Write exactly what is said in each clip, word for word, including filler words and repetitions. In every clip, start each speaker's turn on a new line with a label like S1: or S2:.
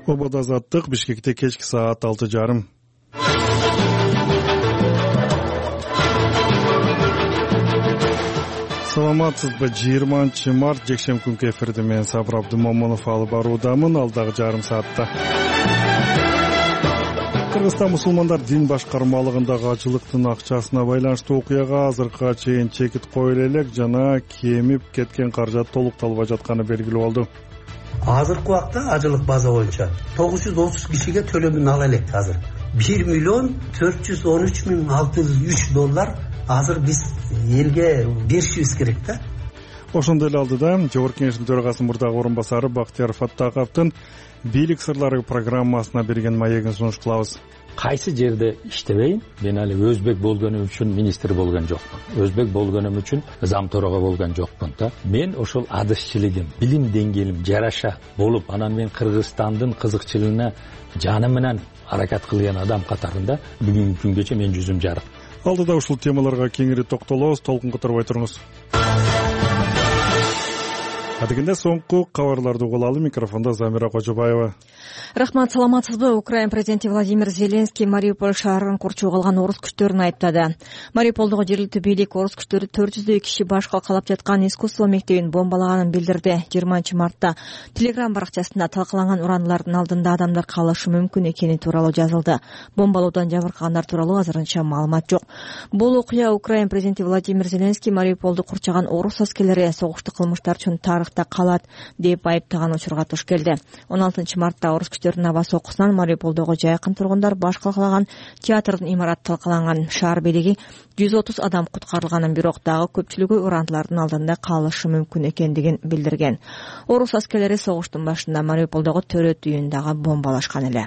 S1: Обод азаттык Бишкекте кечки саат алты жарым. Саламатсызбы? жыйырманчы март жекшемби күнкү эфирде мен Сабыр Абдымомунов алып баруудамын. Алдагы жарым саатта Кыргызстан мусулмандар дин башкармалыгындагы ажылыктын акчасына байланыштуу окуяга азыркыга чейин чекит коюла элек жана кемип кеткен каражат толукталбай жатканы белгилүү болду.
S2: Азыркы убакта ажылык база боюнча тогуз жүз отуз кишиге төлөмүн ала элек. Азыр бир миллион төрт жүз он үч миң алты жүз үч доллар азыр биз элге беришибиз керек да.
S1: Ошондой эле алдыда Жогорку Кеңештин төрагасынын мурдагы орун басары Бактияр Фаттаковдун бийлик сырлары программасына берген маегин сунуш кылабыз.
S3: Кайсы жерде иштебейин, мен али өзбек болгонум үчүн министр болгон жокмун. Өзбек болгонум үчүн зам төрага болгон жокмун да. Мен ошол адышчылыгым, билим деңгээлим жараша болуп, анан мен Кыргызстандын кызыкчылыгына жаны менен аракет кылган адам катарында бүгүнкү күнгөчө мен жүзүм жарык.
S1: Алдыда ушул темаларга кеңири токтолобуз, толкун которбой туруңуз. Адегенде соңку кабарларды угуп алалы. Микрофондо Замира Кожобаева.
S4: Рахмат, саламатсызбы? Украин президенти Владимир Зеленский Мариуполь шаарын курчууга алган орус күчтөрүн айыптады. Мариуполдогу жергиликтүү бийлик орус күчтөрү төрт жүздөй киши баш калкалап жаткан искусство мектебин бомбалаганын билдирди. жыйырманчы мартта Telegram баракчасында талкаланган урандылардын алдында адамдар калышы мүмкүн экени тууралуу жазылды. Бомбалоодон жабыркагандар тууралуу азырынча маалымат жок. Бул окуя Украин президенти Владимир Зеленский Мариуполду курчаган орус аскерлери согуштук кылмыштар үчүн тарыхта калат деп айыптаган учурга туш келди. он алтынчы мартта орус күчтөрүнүн аба сокусунан Мариуполдогу жайкын тургундар баш калкалаган театрдын имараты талкаланган. Шаар бийлиги жүз отуз адам куткарылганын, бирок дагы көпчүлүгү урандылардын алдында калышы мүмкүн экендигин билдирген. Орус аскерлери согуштун башында Мариуполдогу төрөт үйүн дагы бомбалашкан эле.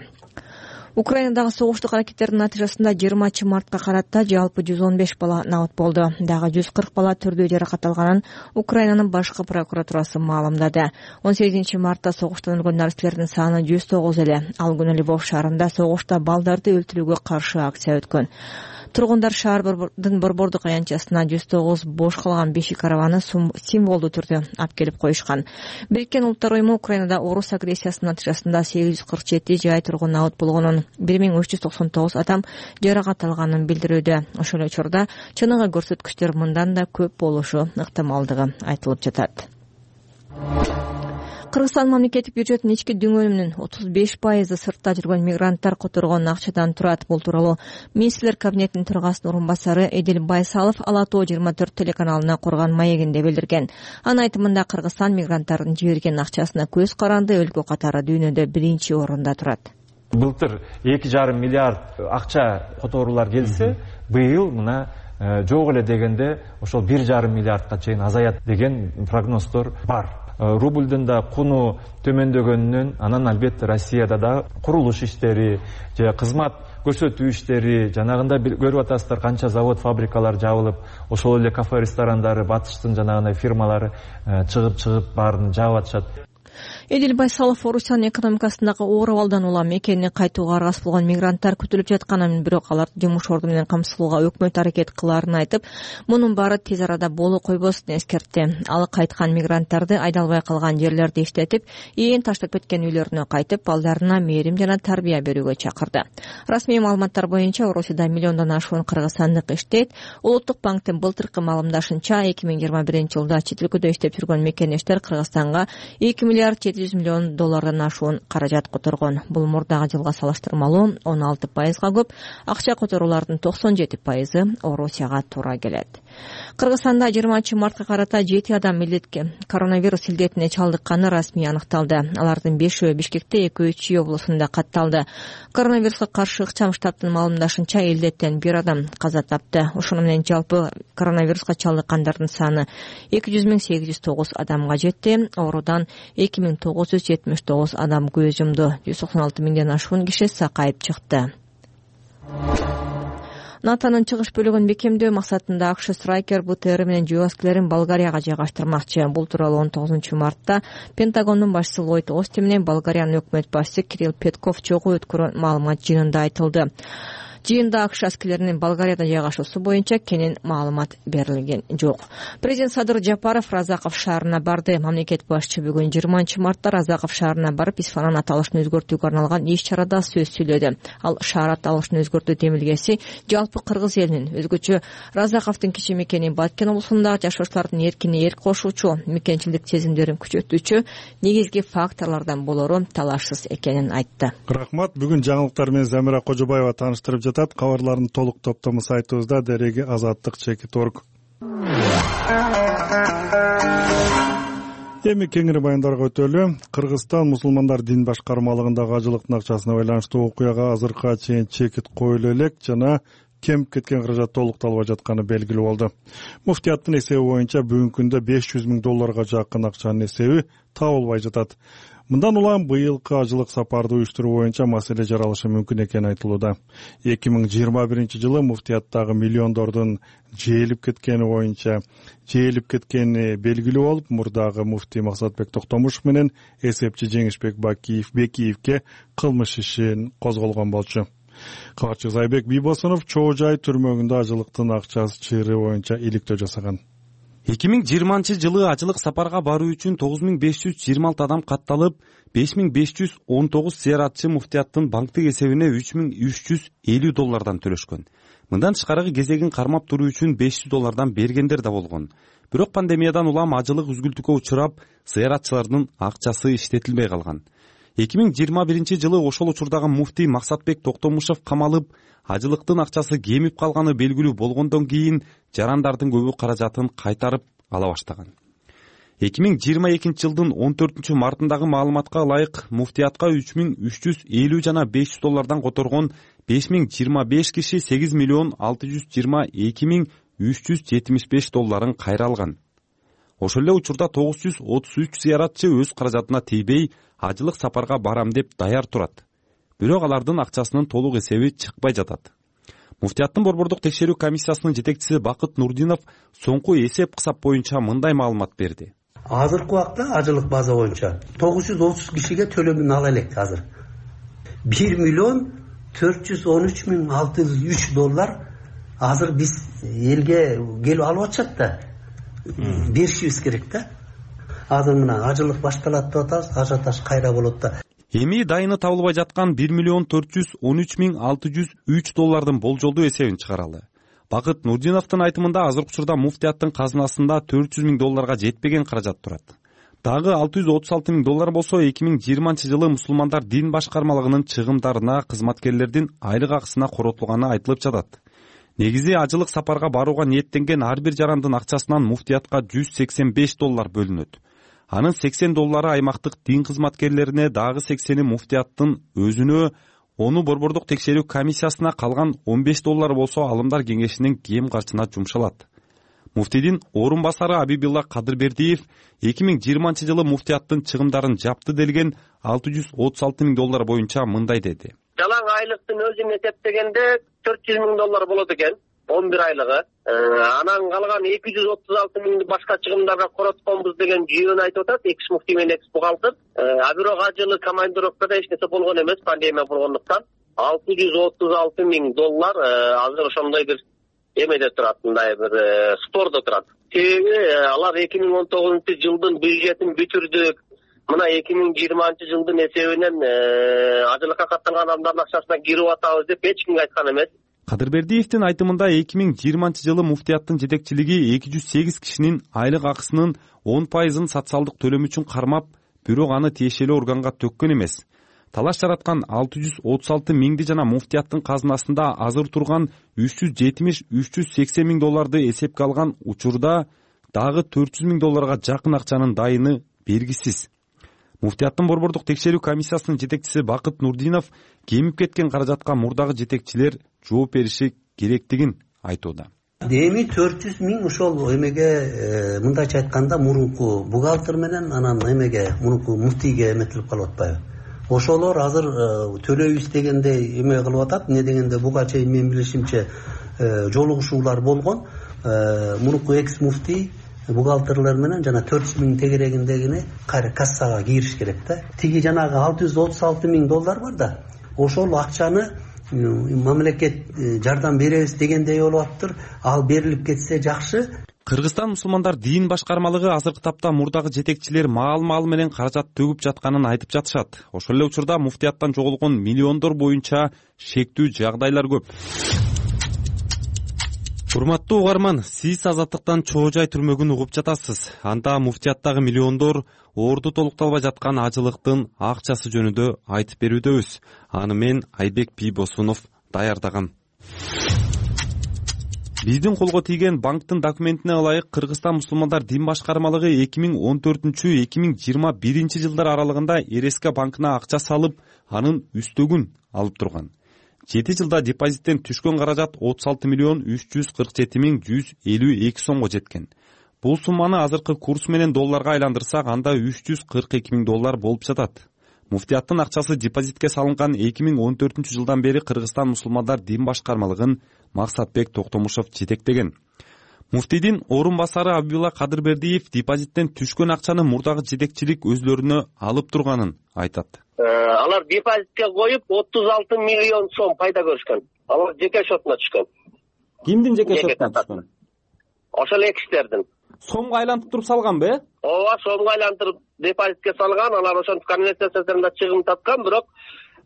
S4: Украинадагы согуштук аракеттердин натыйжасында жыйырманчы мартка карата жалпы жүз он беш бала набыт болду. Дагы жүз кырк бала түрдүү жаракат алганын Украинанын башкы прокуратурасы маалымдады. он сегизинчи мартта согуштан өлгөн наристелердин саны жүз тогуз эле. Ал күнү Львов шаарында согушта балдарды өлтүрүүгө каршы акция өткөн. Тургундар шаардын борбордук аянтчасына жүз тогуз бош калган бешик арабаны символдуу түрдө алып келип коюшкан. Бириккен Улуттар уюму Украинада орус агрессиясынын натыйжасында сегиз жүз кырк жети жай тургун набыт болгонун, бир миң үч жүз токсон тогуз адам жаракат алганын билдирүүдө. Ошол учурда чыныгы көрсөткүчтөр мындан да көп болушу ыктымалдыгы айтылып жатат. Кыргызстан мамлекеттик бюджетинин ички дүңөлүмүнүн отуз беш пайызы сыртта жүргөн мигранттар которгон акчадан турат. Бул тууралуу министрлер кабинетинин төрагасынын орун басары Эдил Байсалов Ала Тоо жыйырма төрт телеканалына курган маегинде билдирген. Анын айтымында Кыргызстан мигранттардын жиберген акчасына көз каранды өлкө катары дүйнөдө биринчи орунда турат.
S5: Былтыр эки жарым миллиард акча которуулар келсе, быйыл мына жок эле дегенде ошол бир жарым миллиардка чейин азаят деген прогноздор бар. Рубльдун да куну төмөндөгөнүнөн, анан албетте Россияда да курулуш иштери же кызмат көрсөтүү иштери, жанагында көрүп атасыздар канча завод, фабрикалар жабылып, ошол эле кафе, ресторандары, батыштын жанагындай фирмалары чыгып-чыгып баарын жаап атышат.
S4: Эдил Байсалов Орусиянын экономикасындагы оор абалдан улам экени кайтууга аргасыз болгон мигранттар күтүлүп жатканын, бирок аларды жумуш орду менен камсыздоого өкмөт аракет кылаарын айтып, мунун баары тез арада боло койбосун эскертти. Ал кайткан мигранттарды айдалбай калган жерлерди иштетип, ээн таштап кеткен үйлөрүнө кайтып, балдарына мээрим жана тарбия берүүгө чакырды. Расмий маалыматтар боюнча Орусияда миллиондон ашуун кыргызстандык иштейт. Улуттук банктын былтыркы маалымдашынча эки миң жыйырма биринчи жылда чет өлкөдө иштеп жүргөн мекенештер Кыргызстанга эки миллиард жети жүз миллион доллардан ашуун каражат которгон. Бул мурдагы жылга салыштырмалуу он алты пайызга көп. Акча которуулардын токсон жети пайызы Орусияга туура келет. Кыргызстанда жыйырманчы мартка карата жети адам илдетке коронавирус илдетине чалдыкканы расмий аныкталды. Алардын бешөө Бишкекте, экөө Чүй облусунда катталды. Коронавируска каршы ыкчам штабтын маалымдашынча илдеттен бир адам каза тапты. Ошону менен жалпы коронавируска чалдыккандардын саны эки жүз миң сегиз жүз тогуз адамга жетти. Оорудан эки миң тогуз жүз жетимиш тогуз адам көз жумду. жүз токсон алты миңден ашуун киши сакайып чыкты. НАТОнун чыгыш бөлүгүн бекемдөө максатында АКШ Страйкер БТР менен жүк аскерлерин Болгарияга жайгаштырмакчы. Бул тууралуу он тогузунчу мартта Пентагондун башчысы Ллойд Остин менен Болгариянын өкмөт башчысы Кирилл Петков чогуу өткөргөн маалымат жыйынында айтылды. Жыйында АКШ аскерлеринин Болгарияда жайгашуусу боюнча кенен маалымат берилген жок. Президент Садыр Жапаров Разаков шаарына барды. Мамлекет башчы бүгүн жыйырманчы мартта Разаков шаарына барып исфанан аталышын өзгөртүүгө арналган иш чарада сөз сүйлөдү. Ал шаар аталышын өзгөртүү демилгеси жалпы кыргыз элинин, өзгөчө Разаковдун кичи мекени Баткен облусунда жашоочулардын эркине эрк кошуучу, мекенчилдик сезимдерин күчөтүүчү негизги факторлордон болору талашсыз экенин айтты.
S1: Рахмат. Бүгүн жаңылыктар менен Замира Кожобаева тааныштырып жатат. Кабарлардын толук топтому сайтыбызда дереги азаттык чекит точка орг. Эми кеңири баяндарга өтөлү. Кыргызстан мусулмандар дин башкармалыгындагы ажылыктын акчасына байланыштуу окуяга азыркыга чейин чекит коюла элек жана кемип кеткен каражат толукталбай жатканы белгилүү болду. Муфтияттын эсеби боюнча бүгүнкү күндө беш жүз миң долларга жакын акчанын эсеби табылбай жатат. Мындан улам быйылкы ажылык сапарды уюштуруу боюнча маселе жаралышы мүмкүн экени айтылууда. эки миң жыйырма биринчи жылы муфтияттагы миллиондордун жээлип кеткени боюнча жээлип кеткени белгилүү болуп, мурдагы муфтий Максатбек Токтомушев менен эсепчи Жеңишбек Бакиев Бекиевке кылмыш ишин козголгон болчу. Кабарчы Зайбек Бийбосунов Чоо Жай түрмөгүндө ажылыктын акчасы чыйры боюнча иликтөө жасаган.
S6: эки миң жыйырманчы жылы ажылык сапарга баруу үчүн тогуз миң беш жүз жыйырма алты адам катталып, беш миң беш жүз он тогуз зыяратчы муфтияттын банктык эсебине үч миң үч жүз элүү доллардан төлөшкөн. Мындан тышкарыгы кезегин кармап туруу үчүн беш жүз доллардан бергендер да болгон. Бирок пандемиядан улам ажылык үзгүлтүккө учурап, зыяратчылардын акчасы иштетилбей калган. эки миң жыйырма биринчи жылы ошол учурдагы муфтий Максатбек Токтомушев камалып, ажылыктын акчасы кемип калганы белгилүү болгондон кийин жарандардын көбү каражатын кайтарып ала баштаган. эки миң жыйырма экинчи жылдын он төртүнчү мартындагы маалыматка ылайык муфтиятка үч миң үч жүз элүү жана беш жүз доллардан которгон беш миң жыйырма беш киши сегиз миллион алты жүз жыйырма эки миң үч жүз жетимиш беш долларын кайра алган. Ошол эле учурда тогуз жүз отуз үч зыяратчы өз каражатына тийбей ажылык сапарга барам деп даяр турат. Бирок алардын акчасынын толук эсеби чыкпай жатат. Муфтияттын борбордук текшерүү комиссиясынын жетекчиси Бакыт Нурдинов соңку эсеп кысап боюнча мындай маалымат берди.
S2: Азыркы убакта ажылык база боюнча тогуз жүз отуз кишиге төлөмүн ала элек азыр. бир миллион төрт жүз он үч миң алты жүз үч доллар азыр биз элге келип алып атышат да. Беришибиз керек да. Азыр мына ажылык башталат деп атабыз, ажиотаж кайра болот да.
S6: Эми дайыны табылбай жаткан бир миллион төрт жүз он үч миң алты жүз үч доллардын болжолдуу эсебин чыгаралы. Бакыт Нурдиновдун айтымында азыркы учурда муфтияттын казынасында төрт жүз миң долларга жетпеген каражат турат. Дагы алты жүз отуз алты миң доллар болсо эки миң жыйырманчы жылы мусулмандар дин башкармалыгынын чыгымдарына кызматкерлердин айлык акысына коротулганы айтылып жатат. Негизи ажылык сапарга барууга ниеттенген ар бир жарандын акчасынан муфтиятка жүз сексен беш доллар бөлүнөт. Анын сексен доллары аймактык дин кызматкерлерине, дагы сексени муфтияттын өзүнө, ону борбордук текшерүү комиссиясына, калган он беш доллар болсо алымдар кеңешинин кем каржысына жумшалат. Муфтийдин орун басары Абибилла Кадырбердиев эки миң жыйырманчы жылы муфтияттын чыгымдарын жапты делген алты жүз отуз алты миң доллар боюнча мындай деди.
S7: Жалаң айлыктын өзүн эсептегенде төрт жүз миң доллар болот экен, он бир айлыгы. Анан калган эки жүз отуз алты миңди башка чыгымдарга коротконбуз деген жүйөнү айтып атат, экс муфтий менен экс бухгалтер. А бирок ажылы командировкада эч нерсе болгон эмес, пандемия болгондуктан алты жүз отуз алты миң доллар азыр ошондой бир эмеде турат, мындай бир спордо турат. Себеби алар эки миң он тогузунчу жылдын бюджетин бүтүрдүк. Мына эки миң жыйырманчы жылдын эсебинен ажылыкка катталган адамдардын акчасына кирип атабыз деп эч кимге айткан эмес.
S6: Кадырбердиевдин айтымында эки миң жыйырманчы жылы муфтияттын жетекчилиги эки жүз сегиз кишинин айлык акысынын он пайызын социалдык төлөм үчүн кармап, бирок аны тиешелүү органга төккөн эмес. Талаш жараткан алты жүз отуз алты миңди жана муфтияттын казынасында азыр турган үч жүз жетимиш үч жүз сексен миң долларды эсепке алган учурда дагы төрт жүз миң долларга жакын акчанын дайыны белгисиз. Муфтияттын борбордук текшерүү комиссиясынын жетекчиси Бакыт Нурдинов кемип кеткен каражатка мурдагы жетекчилер жооп бериши керектигин айтууда.
S2: Эми төрт жүз миң ошол эмеге мындайча айтканда мурунку бухгалтер менен анан эмеге мурунку муфтийге эметилип калып атпайбы. Ошолор азыр төлөйбүз дегенде эме кылып атат. Эмне дегенде буга чейин мен билишимче жолугушуулар болгон. Мурунку экс муфтий бухгалтерлер менен жана төрт жүз миң тегерегиндегини кайра кассага кириш керек да. Тиги жанагы алты жүз отуз алты миң доллар бар да, ошол акчаны мамлекет жардам беребиз дегендей болуп атыптыр. Ал берилип кетсе жакшы.
S6: Кыргызстан мусулмандар дин башкармалыгы азыркы тапта мурдагы жетекчилер маал-маал менен каражат төгүп жатканын айтып жатышат. Ошол эле учурда муфтияттан жоголгон миллиондор боюнча шектүү жагдайлар көп. Урматтуу угарман, сиз Азаттыктан чоо жай түрмөгүн угуп жатасыз. Анда муфтияттагы миллиондор орду толукталбай жаткан ажылыктын акчасы жөнүндө айтып берүүдөбүз. Аны мен Айбек Бийбосунов даярдагам. Биздин колго тийген банктын документине ылайык Кыргызстан мусулмандар дин башкармалыгы эки миң он төртүнчү — эки миң жыйырма биринчи жылдар аралыгында РСК банкына акча салып, анын үстөгүн алып турган. жети жылда депозиттен түшкөн каражат отуз алты миллион үч жүз кырк жети миң жүз элүү эки сомго жеткен. Бул сумманы азыркы курс менен долларга айландырсак, анда үч жүз кырк эки миң доллар болуп жатат. Муфтияттын акчасы депозитке салынган эки миң он төртүнчү жылдан бери Кыргызстан мусулмандар дин башкармалыгын Максатбек Токтомушов жетектеген. Муфтийдин орун басары Абибулла Кадырбердиев депозиттен түшкөн акчаны мурдагы жетекчилик өзлөрүнө алып турганын айтат.
S7: Алар депозитке коюп отуз алты миллион сом пайда көрүшкөн. Алар жеке шотуна түшкөн.
S6: Кимдин жеке шотуна түшкөн?
S7: Ошол эки кишилердин.
S6: Сомго айлантып туруп салганбы?
S7: Ооба, сомго айлантырып депозитке салган. Алар ошентип конвертациядан чыгым тапкан, бирок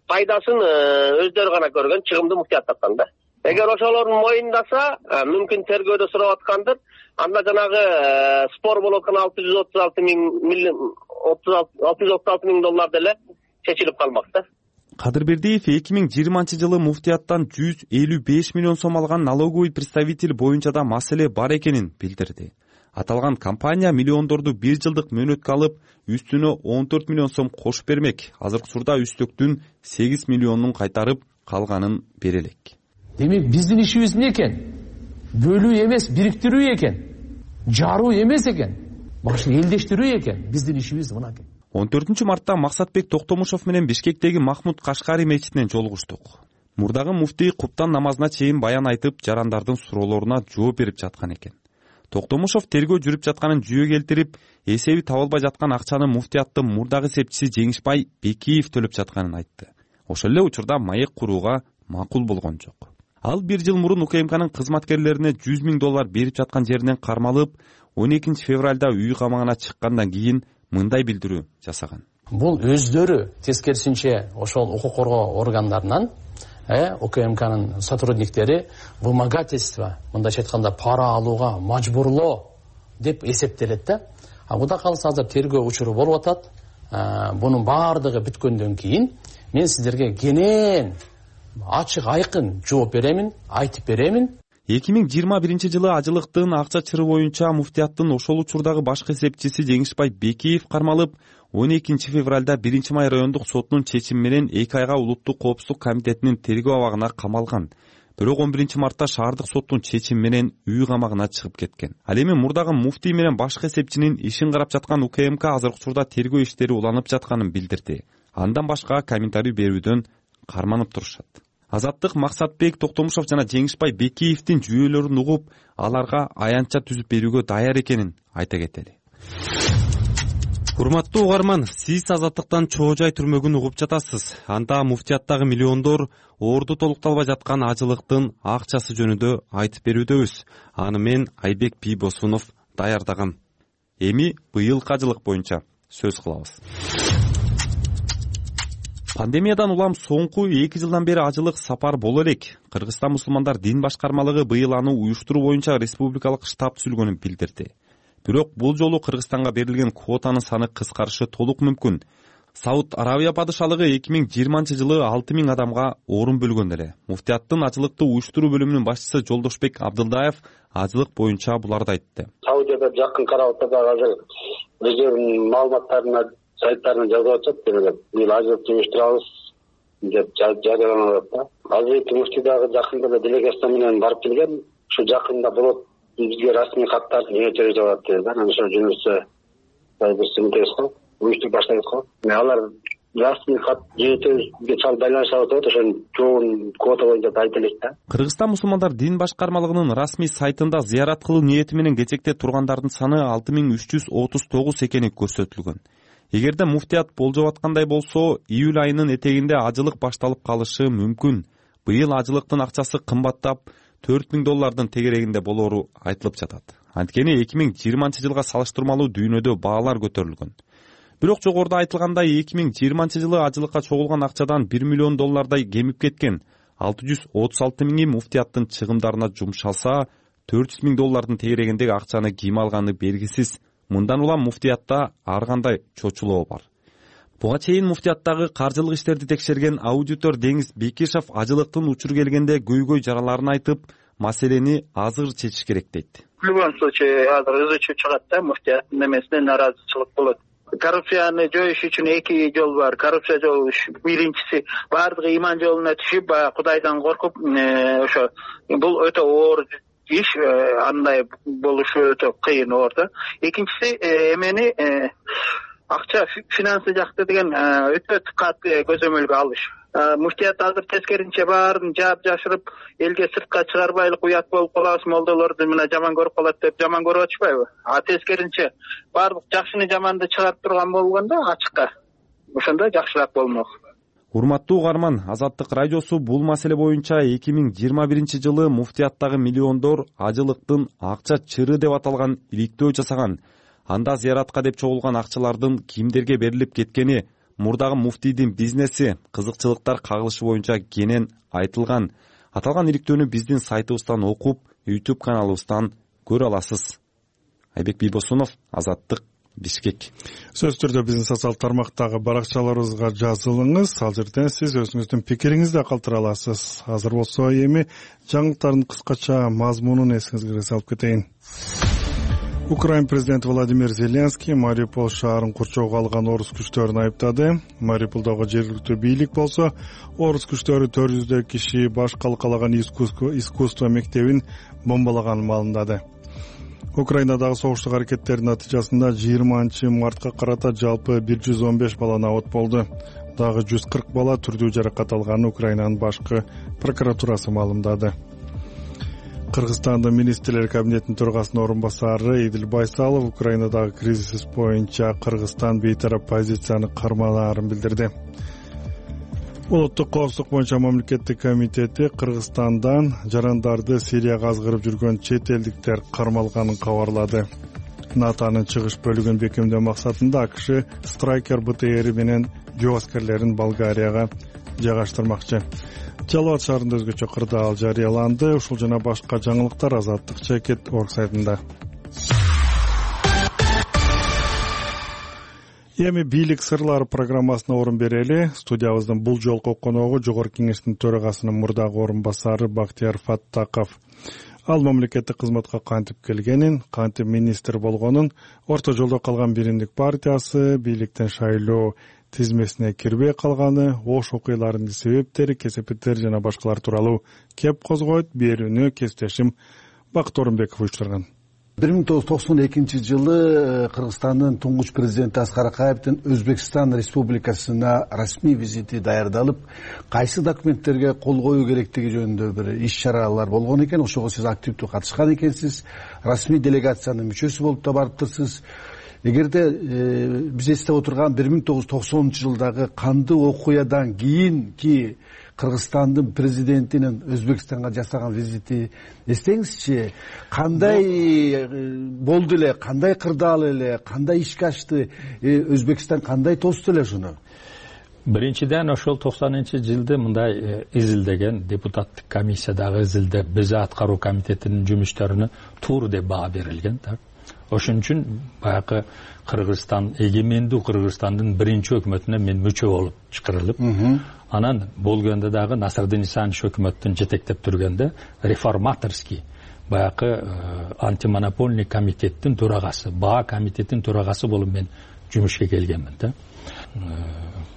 S7: пайдасын өздөрү гана көргөн, чыгымды муфтият тапкан да. Эгер ошолорун моюндаса, мүмкүн тергөөдө сурап аткандыр. Анда жанагы спор болуп аткан алты жүз отуз алты миң доллар деле чечилип калмак да.
S6: Кадырбердиев эки миң жыйырманчы жылы муфтияттан жүз элүү беш миллион сом алган налоговый представитель боюнча да маселе бар экенин билдирди. Аталган компания миллиондорду бир жылдык мөөнөткө алып, үстүнө он төрт миллион сом кошуп бермек. Азыркы учурда үстөктүн сегиз миллионун кайтарып, калганын бере элек.
S8: Демек биздин ишибиз эмне экен? Бөлүү эмес, бириктирүү экен. Жаруу эмес экен. Башка элдештирүү экен. Биздин ишибиз мына экен.
S6: он төртүнчү мартта Максатбек Токтомушов менен Бишкектеги Махмуд Кашкари мечитинен жолугуштук. Мурдагы муфтий куптан намазына чейин баян айтып, жарандардын суроолоруна жооп берип жаткан экен. Токтомушов тергөө жүрүп жатканын жүйө келтирип, эсеби табылбай жаткан акчаны муфтияттын мурдагы сепчиси Жеңишбай Бекиев төлөп жатканын айтты. Ошол эле учурда маек курууга макул болгон жок. Ал бир жыл мурун УКМКнын кызматкерлерине жүз миң доллар берип жаткан жеринен кармалып, он экинчи февралда үй камагына чыккандан кийин мындай билдирүү жасаган.
S8: Бул өздөрү тескерисинче ошол укук коргоо органдарынан э УКМКнын сотрудниктери вымогательство, мындайча айтканда пара алууга мажбурлоо деп эсептелет да. А куда калса азыр тергөө учуру болуп атат. Бунун баардыгы бүткөндөн кийин мен сиздерге кенен ачык айкын жооп беремин, айтып беремин.
S6: эки миң жыйырма биринчи жылы ажылыктын акча чыры боюнча муфтияттын ошол учурдагы башкы эсепчиси Жеңишбай Бекиев кармалып, он экинчи февралда биринчи май райондук сотунун чечими менен эки айга Улуттук коопсуздук комитетинин тергөө абагына камалган. Бирок он биринчи мартта шаардык соттун чечими менен үй камагына чыгып кеткен. Ал эми мурдагы муфтий менен башкы эсепчинин ишин карап жаткан УКМК азыркы учурда тергөө иштери уланып жатканын билдирди. Андан башка комментарий берүүдөн карманып турушат. Азаттык Максатбек Токтомушов жана Жеңишбай Бекиевдин жүйөлөрүн угуп, аларга аянтча түзүп берүүгө даяр экенин айта кетели. Урматтуу угарман, сиз Азаттыктан чоо жай түрмөгүн угуп жатасыз. Анда муфтияттагы миллиондор орду толукталбай жаткан ажылыктын акчасы жөнүндө айтып берүүдөбүз. Аны мен Айбек Бийбосунов даярдагам. Эми быйылкы ажылык боюнча сөз кылабыз. Пандемиядан улам соңку эки жылдан бери ажылык сапар боло элек. Кыргызстан мусулмандар дин башкармалыгы быйыл аны уюштуруу боюнча республикалык штаб түзүлгөнүн билдирди. Бирок бул жолу Кыргызстанга берилген квотанын саны кыскарышы толук мүмкүн. Сауд Арабия падышалыгы эки миң жыйырманчы жылы алты миң адамга орун бөлгөн эле. Муфтияттын ажылыкты уюштуруу бөлүмүнүн башчысы Жолдошбек Абдылдаев ажылык боюнча буларды айтты.
S9: Саудияда жакын карап атат, азыр өздөрүнүн маалыматтарына сайттарына жазып атат, бул ажылык уюштурабыз деп жарыяланып атат. Азыр муфтий дагы жакында эле делегация менен барып келген. Ушу жакында болот, бизге расмий каттарды жөнөтөбүз деп атат. Анан ошо жөнөтсө бирсинтес го, уюштуруп баштайбыз го. Алар расмий кат жөнөтөбүзгө чал байланышып атат, ошо жоон квота боюнча айта элек да.
S6: Кыргызстан мусулмандар дин башкармалыгынын расмий сайтында зыярат кылуу ниети менен кезекте тургандардын саны алты миң үч жүз отуз тогуз экени көрсөтүлгөн. Эгерде муфтият болжоп аткандай болсо, июль айынын этегинде ажылык башталып калышы мүмкүн. быйыл ажылыктын акчасы кымбаттап төрт миң доллардын тегерегинде болоору айтылып жатат. Анткени эки миң жыйырманчы жылга салыштырмалуу дүйнөдө баалар көтөрүлгөн. Бирок жогоруда айтылгандай эки миң жыйырманчы жылы ажылыкка чогулган акчадан бир миллион доллардай кемип кеткен. алты жүз отуз алты миңи муфтияттын чыгымдарына жумшалса, төрт жүз миң доллардын тегерегиндеги акчаны ким алганы белгисиз. Мындан улам муфтиятта ар кандай чочулоо бар. Буга чейин муфтияттагы каржылык иштерди текшерген аудитор Деңиз Бекишев ажылыктын учур келгенде көйгөй жараларын айтып, маселени азыр чечиш керек дейт.
S10: В любом случае, азыр изучуу чыгат да, муфтияттын немесине нааразычылык болот. Коррупцияны жоюш үчүн эки жол бар. Коррупция жолу биринчиси баардыгы иман жолуна түшүп, баягы Кудайдан коркуп, ошо бул өтө оор иш, андай болушу өтө кыйын оор да. Экинчиси эмени акча финансы жакты деген өтө катуу көзөмөлгө алыш. Муфтият азыр тескеринче баарын жаап жашырып, элге сыртка чыгарбайлык уят болуп калабыз, молдолорду мына жаман көрүп калат деп жаман көрүп атышпайбы? А тескеринче баардык жакшыны жаманды чыгарып турган болгондо ачыкка, ошондо жакшыраак болмок.
S6: Урматтуу угарман, Азаттык радиосу бул маселе боюнча эки миң жыйырма биринчи жылы муфтияттагы миллиондор ажылыктын акча чыры деп аталган иликтөө жасаган. Анда зыяратка деп чогулган акчалардын кимдерге берилип кеткени, мурдагы муфтийдин бизнеси, кызыкчылыктар кагылышы боюнча кенен айтылган. Аталган иликтөөнү биздин сайтыбыздан окуп, YouTube каналыбыздан көрө аласыз. Айбек Бийбосунов, Азаттык, Бишкек.
S1: Сөз түрдө биздин социалдык тармактагы баракчаларыбызга жазылыңыз. Ал жерден сиз өзүңүздүн пикириңизди калтыра аласыз. Азыр болсо эми жаңылыктардын кыскача мазмунун эсиңизге салып кетейин. Украин президенти Владимир Зеленский Мариуполь шаарын курчоого алган орус күчтөрүн айыптады. Мариуполдогу жергиликтүү бийлик болсо, орус күчтөрү төрт жүздөй киши баш калкалаган искусство мектебин бомбалаганын маалымдады. Украинадагы согуштук аракеттердин натыйжасында жыйырманчы мартка карата жалпы бир жүз он беш бала абот болду. Дагы жүз кырк бала түрдүү жаракат алганын Украинанын башкы прокуратурасы маалымдады. Кыргызстандын министрлер кабинетинин төрагасынын орун басары Идил Байсалов Украинадагы кризис боюнча Кыргызстан бейтарап позицияны карманаарын билдирди. Улуттук коопсуздук боюнча мамлекеттик комитети Кыргызстандан жарандарды Сирияга азгырып жүргөн чет элдиктер кармалганын кабарлады. НАТОнун чыгыш бөлүгүн бекемдөө максатында АКШ Страйкер БТР менен жөө аскерлерин Болгарияга жайгаштырмакчы. Жалал шаарында өзгөчө кырдаал жарыяланды. Ушул жана башка жаңылыктар Азаттык чекит орг сайтында. Эми бийлик сырлары программасына орун берели. Студиябыздын бул жолку коногу Жогорку Кеңештин төрагасынын мурдагы орун басары Бактияр Фаттаков. Ал мамлекеттик кызматка кантип келгенин, кантип министр болгонун, орто жолдо калган Биримдик партиясы бийликтен шайлоо тизмесине кирбей калганы, ош окуяларынын себептери, кесепеттери жана башкалар тууралуу кеп козгойт. Берүүнү кесиптешим Бакыт Орунбеков уюштурган.
S11: бир миң тогуз жүз токсон экинчи жылы Кыргызстандын туңгуч президенти Аскар Акаевдин Өзбекстан Республикасына расмий визити даярдалып, кайсы документтерге кол коюу керектиги жөнүндө бир иш-чаралар болгон экен. Ошого сиз активдүү катышкан экенсиз. Расмий делегациянын мүчөсү болуп да барыптырсыз. Эгерде э, биз эстеп отурган бир миң тогуз жүз токсонунчу жылдагы кандуу окуядан кийинки Кыргызстандын президентинин Өзбекстанга жасаган визити эстеңизчи, кандай болду эле, кандай кырдаал эле, кандай ишке ачты, Өзбекстан кандай тосду эле ушуну?
S3: Биринчиден ошол токсонунчу жылды мындай изилдеген депутаттык комиссиядагы изилде биз аткаруу комитетинин жумуштарына туура деп баа берилген да. Ошон үчүн баягы Кыргызстан, эгемендүү Кыргызстандын биринчи өкмөтүнө мен мүчө болуп чакырылып, анан болгондо дагы Насырдин Исанович өкмөттүн жетектеп жүргөндө реформаторский баягы антимонопольный комитеттин төрагасы, баа комитетинин төрагасы болуп мен жумушка келгенмин да.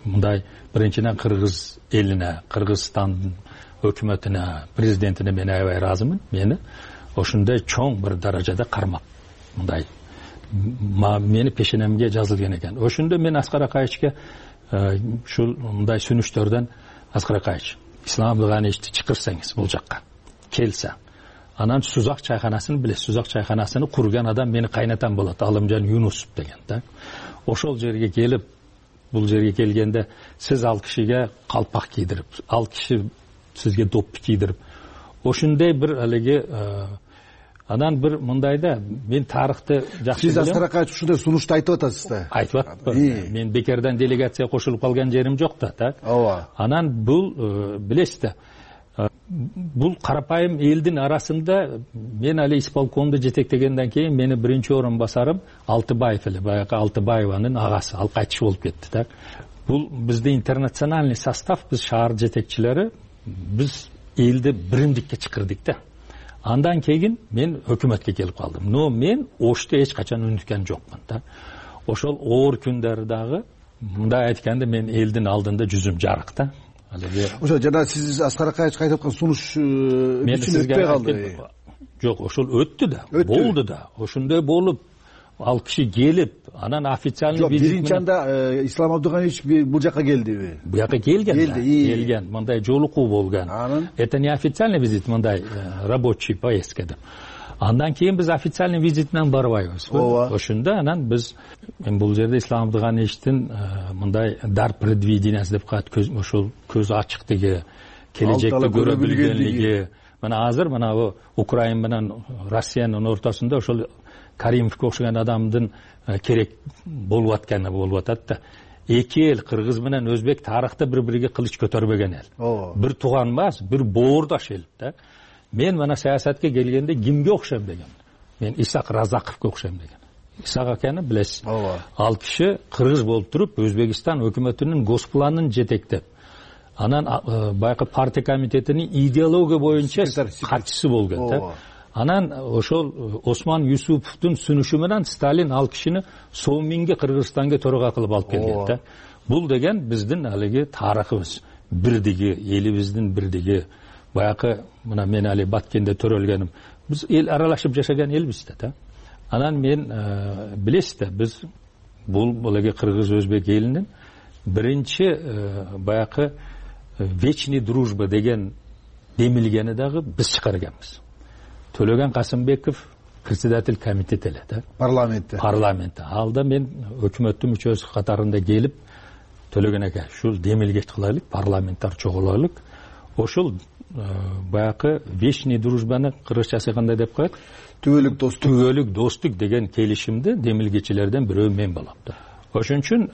S3: Мындай биринчиден Кыргыз элине, Кыргызстандын өкмөтүнө, президентине мен аябай ыраазымын. Мени ошондой чоң бир даражада кармап мындай мени пешенемге жазылган экен. Ошондо мен Аскар Акаевичке ушул мындай сүнүштөрдөн Аскар Акаевич, Ислам Абдыганиевичти чакырсаңыз бул жакка келсе, анан Сузак чайканасын билесиз, Сузак чайканасыны курган адам мени кайнатам болот, Алымжан Юнусов деген да. Ошол жерге келип, бул жерге келгенде сиз ал кишиге калпак кийдирип, ал киши сизге доппу кийдирип ошондой бир алиги анан бир мындай да мен тарыхты жакшы
S11: сиз Аскар Акаевич ушундай сунушту айтып атасыз да.
S3: Айтып атпаймын. Мен бекерден делегация кошулуп калган жерим жок да, так.
S11: Ооба.
S3: Анан бул билесиз да, бул карапайым элдин арасында мен али исполкомду жетектегенден кийин мени биринчи орун басарым Алтыбаев эле, баягы Алтыбаеванын агасы, ал кайтыш болуп кетти, так. Бул бизде интернациональный состав, биз шаар жетекчилери, биз элди биримдикке чакырдык да. Андан кийин мен өкмөткө келип калдым. Но мен ошто эч качан үнүткөн жокмун да. Ошол оор күндөрү дагы мындай айтканда мен элдин алдында жүзүм жарык да.
S11: Ошо жана сиз Аскар Акаевич айтып аткан сунуш үчүн өтпөй калды.
S3: Жок, ошол өттү да, болду да. Ошондой болуп ал киши келип, анан официальный
S11: визит. Биринчи анда Ислам Абдыганиевич бул жака келдиби?
S3: Бул жака келген. Келген, мындай жолугуу болгон. Это не официальный визит, мындай рабочий поездка деп. Андан кийин биз официальный визит менен барбайбыз. Ошондо анан биз мен бул жерде Ислам Абдыганиевичтин мындай дар предвидениясы деп коет, ошол көз ачыктыгы, келечекти көрө билгенлиги. Мына азыр мына Украина менен Россиянын ортосунда ошол Каримовго окшогон адамдын керек болуп атканы болуп атат да. Эки эл, кыргыз менен өзбек, тарыхта бири-бириге кылыч көтөрбөгөн эл. Бир тууган эмес, бир боордош эл да. Мен мына саясатка келгенде кимге окшойм деген? Мен Исак Разаковго окшойм деген. Исак аканы билесиз. Ал киши кыргыз болуп туруп, Өзбекстан өкмөтүнүн госпланын жетектеп, анан байкы партия комитетинин идеология боюнча катчысы болгон да. Анан ошол Осман Юсуповдун сунушу менен Сталин ал кишини Совминге Кыргызстанга төрага кылып алып келген да. Бул деген биздин алиги тарыхыбыз, бирдиги, элибиздин бирдиги. Баягы мына мен али Баткенде төрөлгөнүм. Биз эл аралашып жашаган элбиз да. Анан мен билесиз да, биз бул булагы кыргыз өзбек элинин биринчи баягы вечный дружба деген демилгени дагы биз чыгарганбыз. Төлөгөн Касымбеков председатель комитет эле да.
S11: Парламентте.
S3: Парламентте. Алда мен өкмөттүн мүчөсү катарында келип Төлөгөн ака ушул демилге кылайлык, парламенттар чогулайлык. Ошол баягы вечный дружбаны кыргызчасы кандай деп коет?
S11: Түбөлүк достук.
S3: Түбөлүк достук деген келишимди демилгечилерден бирөө мен болом да. Ошон үчүн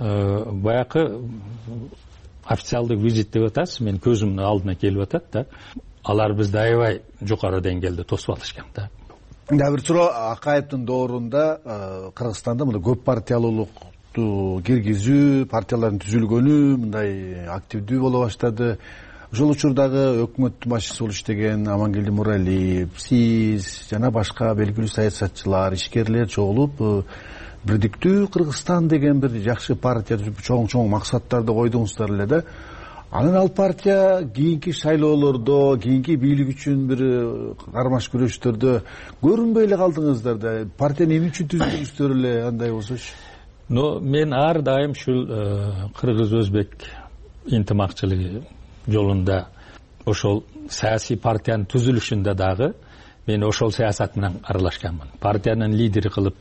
S3: баягы официалдык визит деп атасыз, мен көзүмдүн алдына келип атат да. Алар бизди аябай жукары деңгээлде тосуп алышкан да.
S11: Дагы бир суроо, Акаевдин доорунда Кыргызстанда мындай көп партиялуулукту киргизүү, партиялардын түзүлгөнү мындай активдүү боло баштады. Ошол учурдагы өкмөттүн башчысы болуп иштеген Амангелди Муралиев, сиз жана башка белгилүү саясатчылар, ишкерлер чогулуп бирдиктүү Кыргызстан деген бир жакшы партия түзүп чоң-чоң максаттарды койдуңуздар эле да. Анан ал партия кийинки шайлоолордо, кийинки бийлик үчүн бир кармаш күрөштөрдө көрүнбөй эле калдыңыздар да. Партияны эмне үчүн түздүңүздөр эле, андай болсочу?
S3: Но мен ар дайым ушул кыргыз-өзбек интимакчылыгы жолунда ошол саясий партиянын түзүлүшүндө дагы мен ошол саясат менен аралашканмын. Партиянын лидери кылып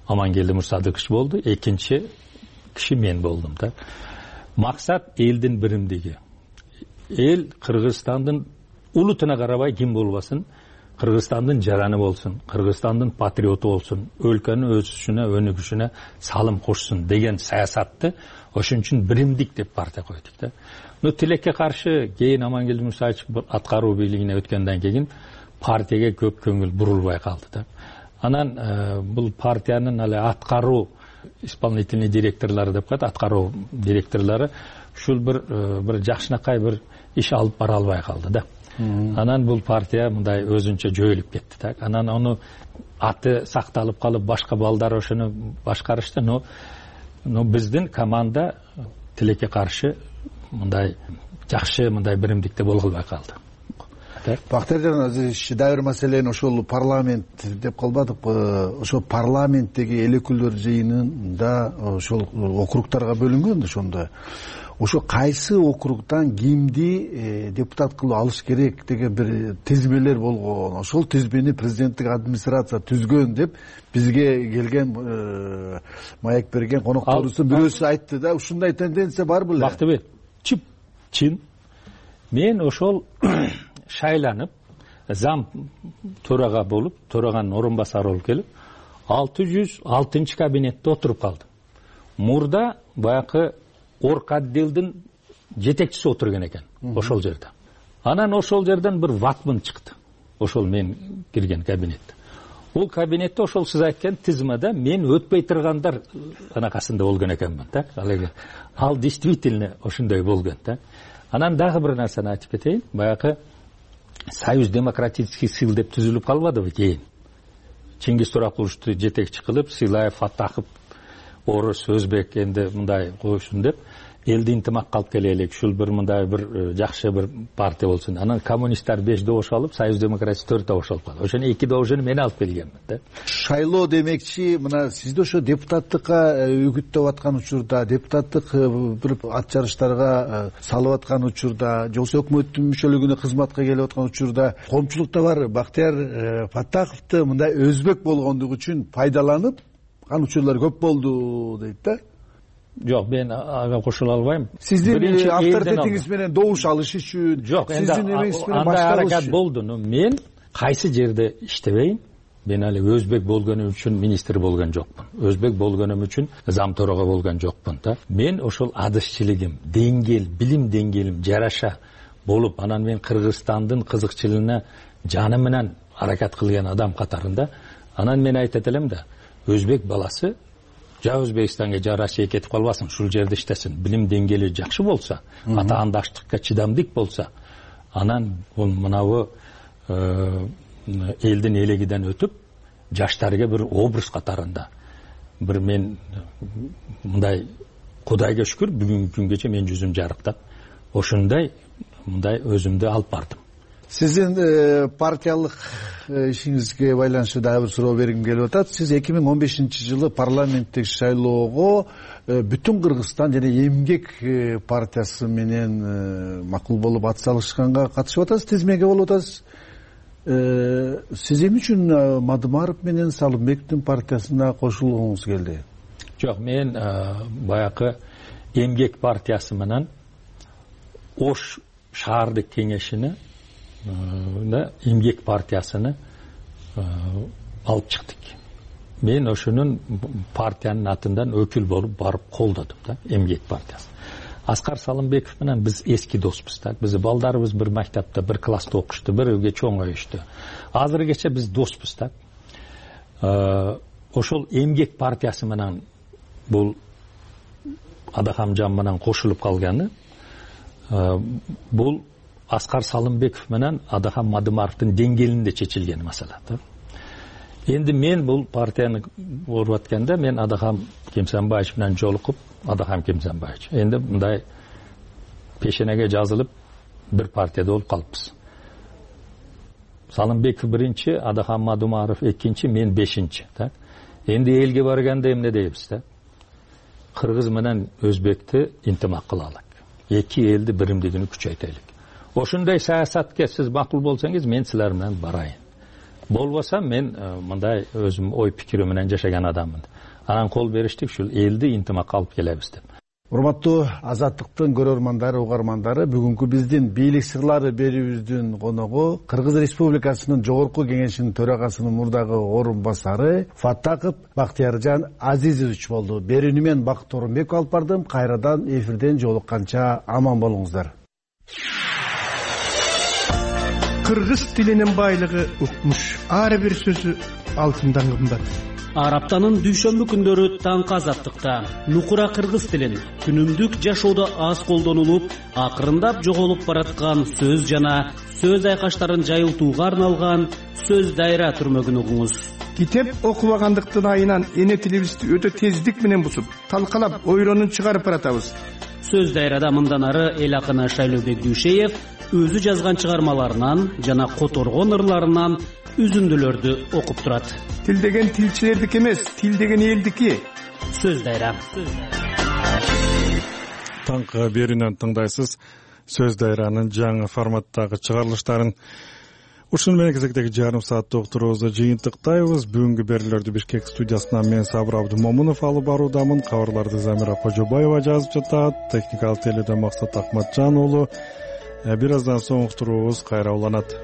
S3: Амангелди Мурсадыкович болду, экинчи киши мен болдум да. Максат элдин биримдиги. Эл Кыргызстандын улутуна карабай ким болбасын, Кыргызстандын жараны болсун, Кыргызстандын патриоту болсун, өлкөнүн өсүшүнө, өнүгүшүнө салым кошсун деген саясатты ошон үчүн биримдик деп партия койдук да. Но тилекке каршы кийин Амангелди Мурсадыкович аткаруу бийлигине өткөндөн кийин партияга көп көңүл бурулбай калды да. Анан бул партиянын али аткаруу исполнительный директорлары деп коет, аткаруу директорлору ушул бир бир жакшынакай бир иш алып бара албай калды да. Анан бул партия мындай өзүнчө жөөлүп кетти да. Анан аны аты сакталып калып башка балдар ошону башкарышты, но но биздин команда тилекке каршы мындай жакшы мындай биримдикте боло албай калды.
S11: Бактыяржан Азизович, дагы бир маселени ошол парламент деп калбадыкпы? Ошол парламенттеги эл өкүлдөр жыйынында ошол округтарга бөлүнгөн да ошондо. Ошо кайсы округдан кимди депутат кылып алыш керек деген бир тизмелер болгон. Ошол тизмени президенттик администрация түзгөн деп бизге келген маек берген конокторубуздун бирөөсү айтты да. Ушундай тенденция бар беле?
S3: Бактыбек, чип чин мен ошол шайланып зам төрага болуп, төраганын орун басары болуп келип алты жүз алтынчы кабинетте отуруп калдым. Мурда баягы орг отделдин жетекчиси отурган экен ошол жерде. Анан ошол жерден бир ватман чыкты. Ошол мен кирген кабинетте. Бул кабинетте ошол сиз айткан тизмада мен өтпөй тургандар анакасында болгон экенмин, так? Ал эми ал действительно ошондой болгон, так? Анан дагы бир нерсени айтып кетейин. Баягы Союз демократических сил деп түзүлүп калбадыбы кийин? Чингиз Туракуловду жетекчи кылып, Силаев, Фаттахов, орус, өзбек энди мындай коюшун деп элди интимакка алып келелик, ушул бир мындай бир жакшы бир партия болсун. Анан коммунисттер беш добуш алып, Союз демократия төрт добуш алып калды. Ошону эки добушун мен алып келгенмин, да.
S11: Шайлоо демекчи, мына сизди ошо депутаттыкка үгүттөп аткан учурда, депутаттык бир ат жарыштарга салып аткан учурда, же болбосо өкмөттүн мүчөлүгүнө кызматка келип аткан учурда коомчулукта бар Бактияр Фаттаховду мындай өзбек болгондугу үчүн пайдаланып ан учурлар көп болду дейт да.
S3: Жок, мен ага кошула албайм.
S11: Сиздин авторитетиңиз менен добуш алыш үчүн,
S3: жок, сиздин эмеңиз менен башкаруу үчүн аракет болду. Мен кайсы жерде иштебейм, мен али өзбек болгонум үчүн министр болгон жокмун. Өзбек болгонум үчүн зам төрага болгон жокмун, да. Мен ошол адышчылыгым, деңгэл, билим деңгээлим жараша болуп, анан мен Кыргызстандын кызыкчылыгына жаны менен аракет кылган адам катарында, анан мен айтат элем да, өзбек баласы жа Өзбекстанга жа Россияга кетип калбасын, ушул жерде иштесин. Билим деңгээли жакшы болсо, атаандаштыкка чыдамдык болсо, анан бул мынабу элдин элегиден өтүп, жаштарга бир образ катарында бир мен мындай Кудайга шүкүр бүгүнкү күнгөчө мен жүзүм жарыктап, ошондой мындай өзүмдү алып бардым.
S11: Сиздин партиялык ишиңизге байланыштуу дагы бир суроо бергим келип атат. Сиз эки миң он бешинчи жылы парламенттик шайлоого Бүтүн Кыргызстан жана Эмгек партиясы менен макул болуп ат салышканга катышып атасыз, тизмеге болуп атасыз. Сиз эмне үчүн Мадымаров менен Салымбековдун партиясына кошулгуңуз келди?
S3: Жок, мен баягы Эмгек партиясы менен Ош шаардык кеңешине Эмгек партиясыны алып чыктык. Мен ошонун партиянын атынан өкүл болуп барып колдодум, да, Эмгек партиясы. Аскар Салымбеков менен биз эски доспуз, да. Биз балдарыбыз бир мектепте, бир класста окушту, бирге чоңоюшту. Азыркече биз доспуз, да. Ошол Эмгек партиясы менен бул Адахамжан менен кошулуп калганы бул Аскар Салымбеков менен Адахам Мадымаровдун деңгээлинде чечилген маселе, да. Энди мен бул партияны болуп атканда мен Адахам Кемсенбаевич менен жолукуп, Адахам Кемсенбаевич энди мындай пешенеге жазылып бир партияда болуп калыппыз. Салымбеков биринчи, Адахам Мадымаров экинчи, мен бешинчи, да. Энди элге барганда эмне дейбиз, да? Кыргыз менен Өзбекти интимак кылалык. Эки элди биримдигин күчөйтөлүк. Ошондой саясатка сиз макул болсоңуз, мен силер менен барайын. Болбосо мен мындай өзүм ой пикирим менен жашаган адаммын. Анан кол бериштик, ушул элди интимакка алып келебиз деп.
S11: Урматтуу Азаттыктын көрөрмандары, угармандары, бүгүнкү биздин бийлик сырлары берүүбүздүн коногу Кыргыз Республикасынын Жогорку Кеңешинин төрагасынын мурдагы орун басары Фаттахов Бактияржан Азизович болду. Берүүнү мен Бакыт Орунбеков алып бардым. Кайрадан эфирден жолукканча аман болуңуздар.
S12: Кыргыз тилинин байлыгы укмуш. Ар бир сөзү алтындан кымбат.
S13: Ар аптанын дүйшөмбү күндөрү таңкы Азаттыкта нукура кыргыз тилин күнүмдүк жашоодо аз колдонулуп, акырындап жоголуп бараткан сөз жана сөз айкаштарын жайылтууга арналган сөз дайра түрмөгүн угуңуз.
S12: Китеп окубагандыктын айынан эне тилибизди өтө тездик менен бусуп, талкалап, ойронун чыгарып баратабыз.
S13: Сөз дайрада мындан ары эл акыны Шайлообек Дүйшеев өзү жазган чыгармаларынан жана которгон ырларынан үзүндүлөрдү окуп турат.
S12: Тил деген тилчилердики эмес, тил деген элдики.
S13: Сөз дайра.
S1: Таңкы берүүнөн тыңдайсыз сөз дайранын жаңы форматтагы чыгарылыштарын. Ушуну менен кезектеги жарым сааттык уктуруубузду жыйынтыктайбыз. Бүгүнкү берүүлөрдү Бишкек студиясынан мен Сабыр Абдымомунов алып баруудамын. Кабарларды Замира Кожобаева жазып жатат. Техникалык теледен Максат Акматжан уулу. бир аздан соң уктуруубуз кайра уланат.